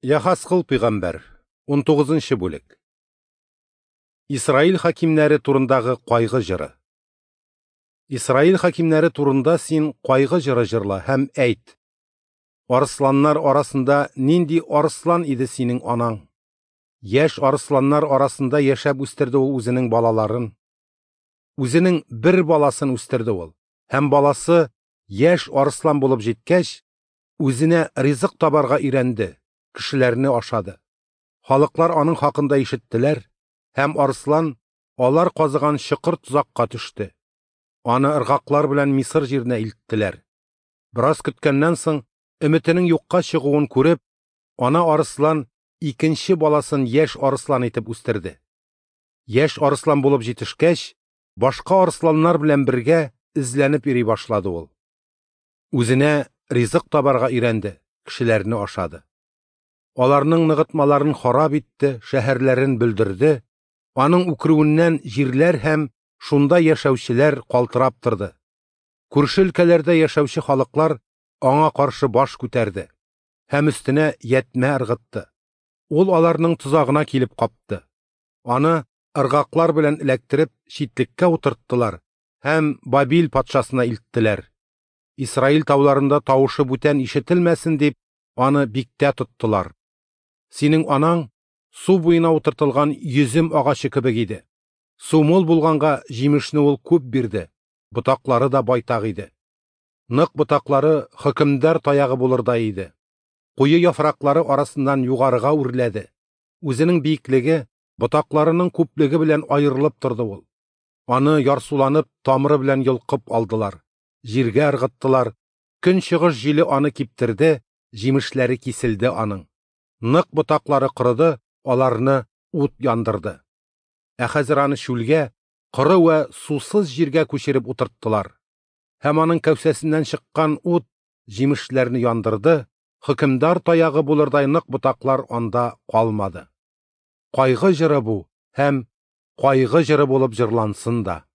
Яхаскыл пәйгамбәр, 19 бүлек. Исраил хакимнәре турындагы кайгы җыры. Исраил хакимнәре турында син кайгы җыры җырла һәм әйт: Арысланнар арасында нинди арыслан иде синең анаң? Яшь арысланнар арасында яшәп үстерде ул үзенең балаларын. Үзенең бер баласын үстерде ул, һәм баласы яшь арыслан булып җиткәч, үзенә ризык табарга өйрәнде, кешеләрне ашады. Халыклар аның хакында ишеттеләр, һәм арыслан алар казыган чокыр тозакка төште. Аны ыргаклар белән Мисыр җиренә илттеләр. Бераз көткәннән соң, өметенең юкка чыгуын күреп, ана арыслан икенче баласын яшь арыслан итеп үстерде. Яшь арыслан булып җитешкәч, башка арысланнар белән бергә эзләнеп йөри башлады ул. Үзенә ризык табарга өйрәнде, кешеләрне ашады. Аларның ныгытмаларын харап итте, шәһәрләрен бөлдерде, аның үкерүеннән җирләр һәм шунда яшәүчеләр калтырап торды. Күрше өлкәләрдә яшәүче халыклар аңа каршы баш күтәрде һәм өстенә ятмә ыргытты. Ул аларның тозагына килеп капты. Аны ыргаклар белән эләктереп читлеккә утырттылар һәм Бабил патшасына илттеләр. Исраил тауларында тавышы бүтән ишетелмәсен дип, аны биктә тоттылар. Синең анаң су буена утыртылган йөзем агачы кебек иде. Су мул булганга җимешне ул күп бирде, ботаклары да байтак иде. Нык ботаклары хөкемдар таягы булырдай иде. Куе яфраклары арасыннан югарыга үрләде. Үзенең биеклеге, ботакларының күплеге белән аерылып торды ул. Аны ярсуланып, тамыры белән йолкып алдылар, җиргә ыргыттылар. Көнчыгыш җиле аны киптерде, җимешләре киселде аның. Нык ботаклары корыды, аларны ут яндырды. Ә хәзер аны чүлгә, коры вә сусыз җиргә күчереп утырттылар. Һәм аның кәүсәсеннән чыккан ут җимешләрне яндырды, хөкемдар таягы булырдай нык ботаклар анда калмады. Кайгы җыры бу һәм кайгы җыры булып җырлансын да.